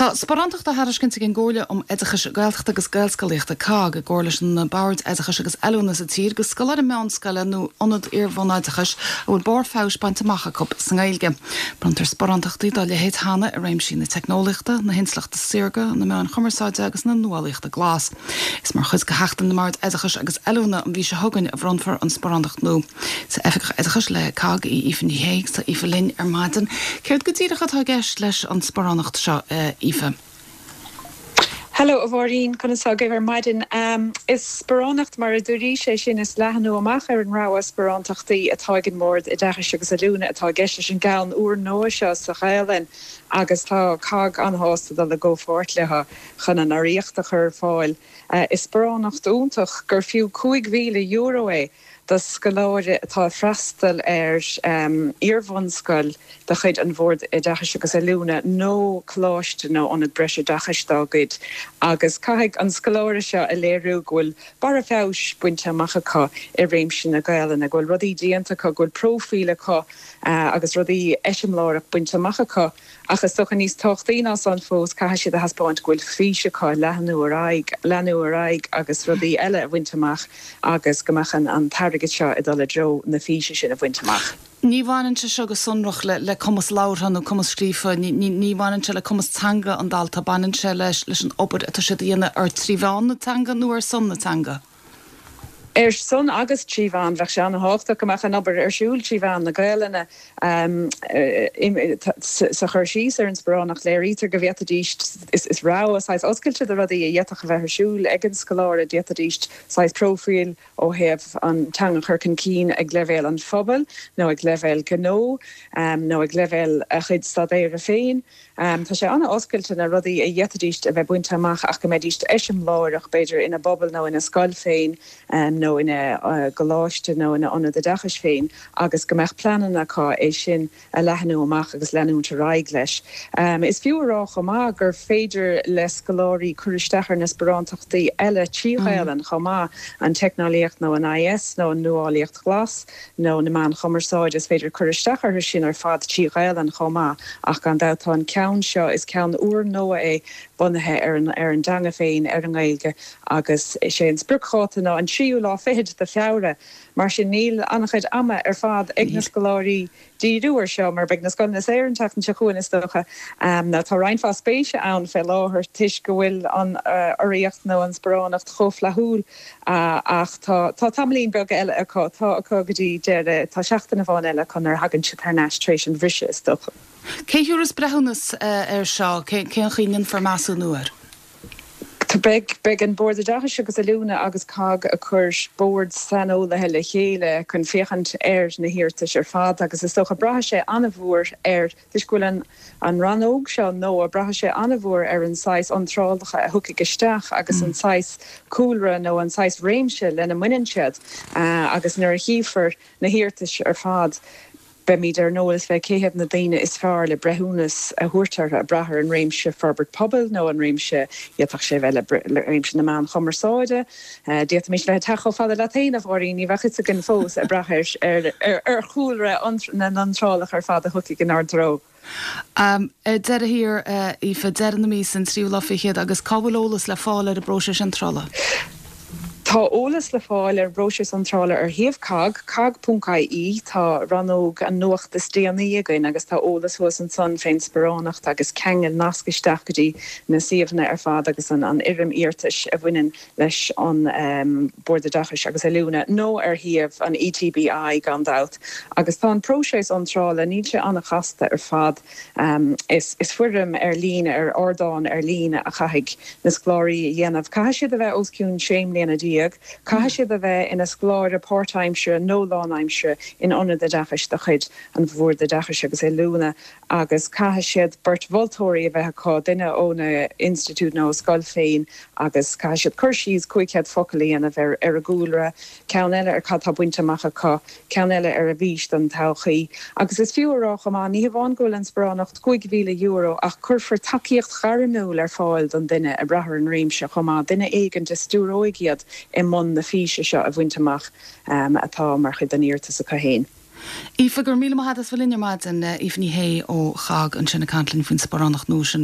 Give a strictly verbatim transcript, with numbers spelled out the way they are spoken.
Tá sparántacht á thairiscint ag an gComhairle um Oideachas Gaeltachta agus Gaelscolaíochta COGG i gcomhar leis na Boird Oideachais agus Oiliúna sa tír do scoláire meánscoile nó ionad iarbhunoideachais a bhfuil barr feabhais bainte amach acu sa nGaeilge. Bronntar sparántachtaí dá leithéid cheana i réimsí na teicneolaíochta, na hintleachta saorga, na meáin chumarsáide agus na nuálaíochta glas. Is mar chuid de Sheachtain na mBord Oideachais agus Oiliúna an mhí seo chugainn a bhronnfar an sparántacht nua. Is oifigeach oideachais le COGG í Aoife Ní Shé tá Aoife linn ar maidin. Céard go díreach atá i gceist leis an sparánacht seo uh, Aoife. Hello a Mháirín conas tá agaibh ar maidin. Um, is sparánacht mar a dúirt sé sin is leathnú amach ar an rogha sparántachtaí atá ag an mBord Oideachais agus Oiliúna atá i gceist leis an gceann úrnua seo sa Ghaelainn agus tá COGG an-sásta dul i gcomhpháirt leo chun an urraíocht a chur ar fáil. Uh, is sparánacht iontach gur fiú cúig mhíle euro é do scoláire atá freastal ar um, iarbhunscoil de chuid an Bhord Oideachais agus Oiliúna nó coláiste nó ionad breisoideachais dá gcuid. agus caithfidh an scoláire seo a léiriú go bhfuil barr feabhais bainte amach acu i réimse na Gaelainne, go bhfuil rudaí déanta acu go bhfuil próifíl acu uh, agus rudaí eiseamláireach bainte amach acu ach is dócha níos tábhachtaí ná san fós caithfidh siad a thaispeáint go bhfuil fís acu leathnú ar aghaidh leathnú ar aghaidh agus rudaí eile a bhaint amach agus go mbeadh an an t-airgead seo ag dul i dtreo na físe sin a bhaint amach. Ní bhaineann sé seo go sonrach le, le cumas labhartha nó cumas scríofa, ní bhaineann sé le cumas teanga an dalta baineann sé leis leis an obair atá siad a dhéanamh ar trí mheán na teanga nó ar son na teanga. Ar son agus trí mheán bheadh sé an-tábhachtach go mbeadh an obair ar siúl trí mheán na Gaelainne um, sa chur síos ar an sparánacht léirítear go bhféadfaidís is, is rogha saghas oscailte de rudaí a d'fhéadfadh a bheith ar siúl ag an scoláire d'fhéadfaidís saghas próifíl ó thaobh an teanga chur chun cinn ag leibhéal an phobail nó ag leibhéal gnó um, nó ag leibhéal a chuid staidéir féin. Um, tá sé an-oscailte na rudaí a d'fhéadfaidís a bheith bainte amach ach go mbeidís eiseamláireach b'fhéidir ina bpobal nó ina scoil féin um, nó ina uh, gcoláiste nó ina ionad oideachais féin agus go mbeadh pleananna acu é sin a leathnú amach agus leanúint ar aghaidh leis. Um, is fiú a rá chomh maith gur féidir le scoláirí cur isteach ar na sparántachtaí eile trí Ghaelainn mm. chomh maith an teicneolaíocht nó an IS nó an nuálaíocht ghlas nó na meáin chumarsáide is féidir cur isteach orthu sin ar fad trí Ghaelainn chomh maith ach gan dabht tá an ceann seo is ceann úrnua é bunaithe ar an ar an dteanga féin ar an nGaeilge agus is é an spriocdháta ná an tríú lá fichead de Feabhra mar sin níl an-chuid ama ar fad ag na scoláirí díriú air seo mar beidh na scoileanna saor an tseachtain seo chugainn is dócha um, ná tá roinnt mhaith spéise ann fé láthair toisc go bhfuil an uh, urraíocht nó an sparánacht chomh flaithiúil uh, ach tá tá tamaillín beag eile acu tá acu go dtí deireadh tá seachtain amháin eile chun ar thagann siad thar n-ais tar éis an bhriseadh is dócha. Cé thabharfas breithiúnas uh, ar seo cén chaoi a ndéanfar measúnú air? Beidh beidh an Bord Oideachais agus Oiliúna agus COGG ag cur bord saineolaithe le chéile chun féachaint ar na hiarratais ar fad agus is dócha braithfidh sé an-mhór ar toisc go bhfuil an an rannóg seo nó braithfidh sé an-mhór ar an saghas iontrálacha a thiocfaidh isteach agus mm. an saghas cúlra nó an saghas réimse lena mbaineann siad uh, agus nuair a chífear na hiarratais ar fad. Beimid ar eolas fé cé hiad na daoine is fearr le breithiúnas a thabhairt ag brath ar an réimse forbairt pobail nó an réimse d'fhéadfadh sé bheith le réimse na meán chumarsáide. D'fhéadfaimis le teacht chomh fada le féin a Mháirín ní bheadh a fhios againn fós ag brath ar ar chúlra na n-iontrálacha ar fad a thiocfaidh inár dtreo. Um, deireadh thiar Aoife deireadh na míosa an tríú lá fichead agus cá bhfuil eolas le fáil ar an bpróiseas iontrála. Tá eolas le fáil ar bpróiseas iontrála ar shuíomh cogg cogg.ie tá rannóg an nuacht is déanaí againn agus tá eolas thuas ansan fén sparánacht agus ceangal nasc isteach go dtí na suíomhanna ar fad agus an an fhoirm iarratais a bhaineann leis an um, Bord Oideachais agus Oiliúna nó ar shuíomh an ETBI gan dabht. Agus tá an próiseas iontrála níl sé an-chasta ar fad um, is, is foirm ar líne ar ardán ar líne a chaithfidh na scoláirí a dhéanamh. Caithfidh siad a bheith os cionn sé mbliana déag, caithfidh siad a bheith ina scoláire páirtaimseartha nó lánaimseartha in ionad oideachais de chuid an Bhoird Oideachais agus Oiliúna agus caithfidh siad beirt mholtóirí a bheith acu duine óna institiúid nó scoil féin agus caithfidh siad cur síos cúig chéad focal a dhéanamh ar ar a gcúlra, ceann eile ar cad tá bainte amach acu, ceann eile ar a bhfís don todhchaí. Agus is fiú a rá chomh maith ní hamháin go bhfuil an sparánacht cúig mhíle euro ach cuirfear tacaíocht ghairmiúil ar fáil don duine ag brath ar an réimse chomh maith duine éigin a stiúróidh iad i mbun na físe seo a bhaint amach um, atá mar chuid den iarratas acu féin. Aoife go raibh míle maith agat as bheith linn ar maidin Aoife Ní Shé ó CHOGG ansin ag caint linn faoin sparánacht nua sin.